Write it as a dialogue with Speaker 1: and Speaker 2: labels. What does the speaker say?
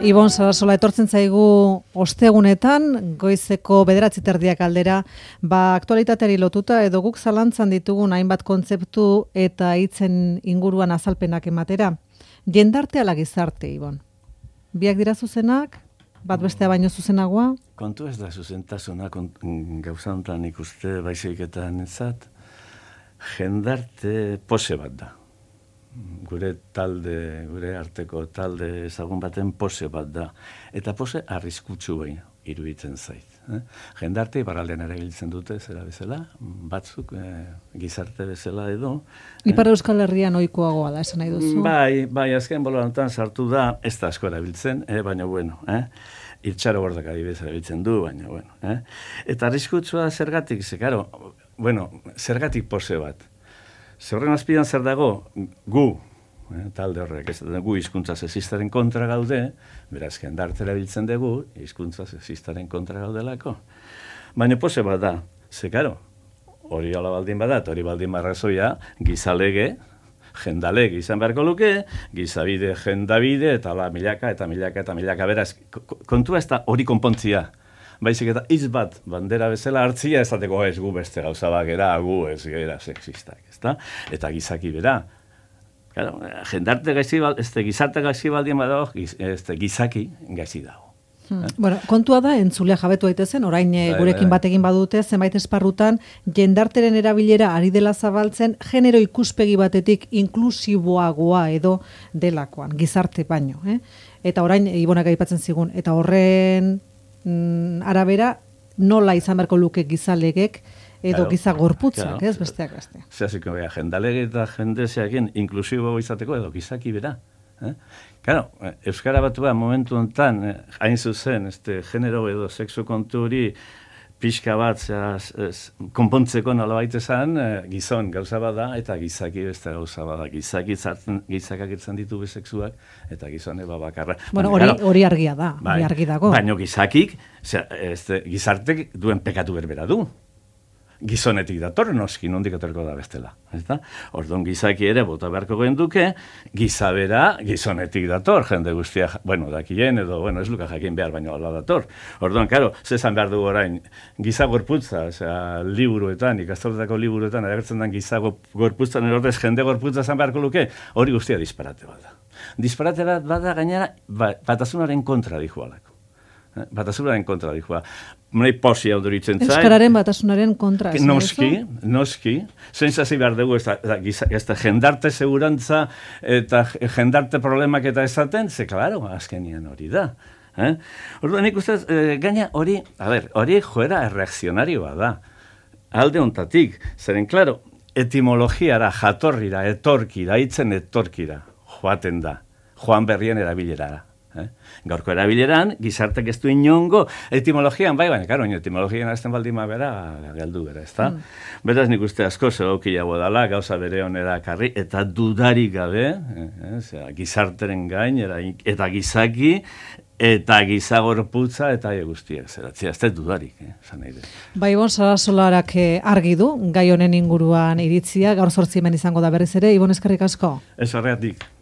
Speaker 1: Ibon Sarasola etortzen zaigu ostegunetan, goizeko 9:30 aldera, aktualitateari lotuta edo guk zalantzan ditugun hainbat kontzeptu eta hitzen inguruan azalpenak ematera. Jendarte ala gizarte, Ibon? Biak dira zuzenak, bat bestea baino zuzenagoa?
Speaker 2: Kontu ez da zuzentasuna gauza honetan ikuste baizik-etan ezat, jendarte pose bat da. Gure arteko talde ezagun baten pose bat da. Eta pose arriskutsu behin iruditzen zait. Jendarte iparraldean ere biltzen dute, zera bezala, batzuk gizarte bezala edo.
Speaker 1: Ipar Euskal Herrian ohikoagoa da, esan nahi duzu?
Speaker 2: Bai, azken bolorantan sartu da, ez da asko erabiltzen, baina bueno, Irtxaro Bordak adibidez erabiltzen du, baina bueno. Eta arriskutsua zergatik, zergatik pose bat. Zerren azpidan zer dago, gu, talde horrek, gu hizkuntza sexistaren kontra gaude, beraz, jendarte erabiltzen dugu, hizkuntza sexistaren kontra gaudelako. Baina pose bat da, karo, hori ala baldin badat, hori baldin marrazoia, gizalege, jendalege izan beharko luke, gizabide, jendabide, eta milaka, beraz, kontua ez da hori konpontzia. Baizik eta hitz bat bandera bezala hartzia ezateko ez gu beste gauza bakera, gu ez gera sexistak, ezta? Eta gizaki bera. Claro, jendarte gizarte gaizki baldien badago, gizaki gaizki dago.
Speaker 1: Bueno, kontua da, entzulea jabetu daitezen, orain gurekin bat egin badute, zenbait esparrutan, jendarteren erabilera ari dela zabaltzen, genero ikuspegi batetik inklusiboagoa edo delakoan, gizarte baino. Eta orain, Ibonak aipatzen zigun, eta horren arabera, nola izan beharko luke gizalegek edo giza gorputzak, ez besteak beste.
Speaker 2: Zehaziko, jendalege eta jendezeakin inklusibo izateko edo gizaki bera. Claro, Euskara Batua momentu honetan, hain zuzen, genero edo sexu kontu hori pixka bat konpontzeko nolabait esan, gizon gauza bada eta gizaki beste gauza bada. Gizakak irtzen ditu bisexuak eta gizone bakarra.
Speaker 1: Bueno, hori argia da, hori argi dago.
Speaker 2: Baina gizakik, gizartek duen pekatu berbera du. Gizonetik dator, noski, nondik atorko da bestela. Orduan gizaki ere bota beharko genduke, gizabera gizonetik dator, jende guztia, dakien edo, ez luka jakin behar, baina ala dator. Orduan, karo, zezan behar dugu orain, giza gorputza, liburuetan, ikastoletako liburuetan, agertzen den giza gorputzan erordez jende gorputza zan beharko luke, hori guztia disparate bat da. Disparate bat da gainera, batasunaren kontra dihualako. Batasunaren kontra dijoa. Mrei posia odoritzen zait.
Speaker 1: Euskararen batasunaren kontra.
Speaker 2: Noski. Zentzazi behar dugu, ez da jendarte segurantza eta jendarte problemak eta esaten, klaro, azkenian hori da. Orduan nik ustez, gaina hori joera erreakzionarioa da. Alde ontatik, zeren, klaro, etimologiara, jatorrira, etorkira, hitzen etorkira, joaten da. Joan berrien erabilerara. Gaurko erabileran, gizartek ez du inongo etimologian, baina, etimologian azten baldima bera, galdu bera, ez da? Beraz nik uste asko zegokiago dala, gauza bere honera karri, eta dudarik gabe, gizarteren gain, eta gizaki, eta gizagorputza, eta guztiak, zeratzea, ez da dudarik, zan nahi dut.
Speaker 1: Ibon Sarasolarak argi du, gai honen inguruan iritzia, gaur 8 hemen izango da berriz ere, Ibon eskerrik asko.
Speaker 2: Ez horregatik.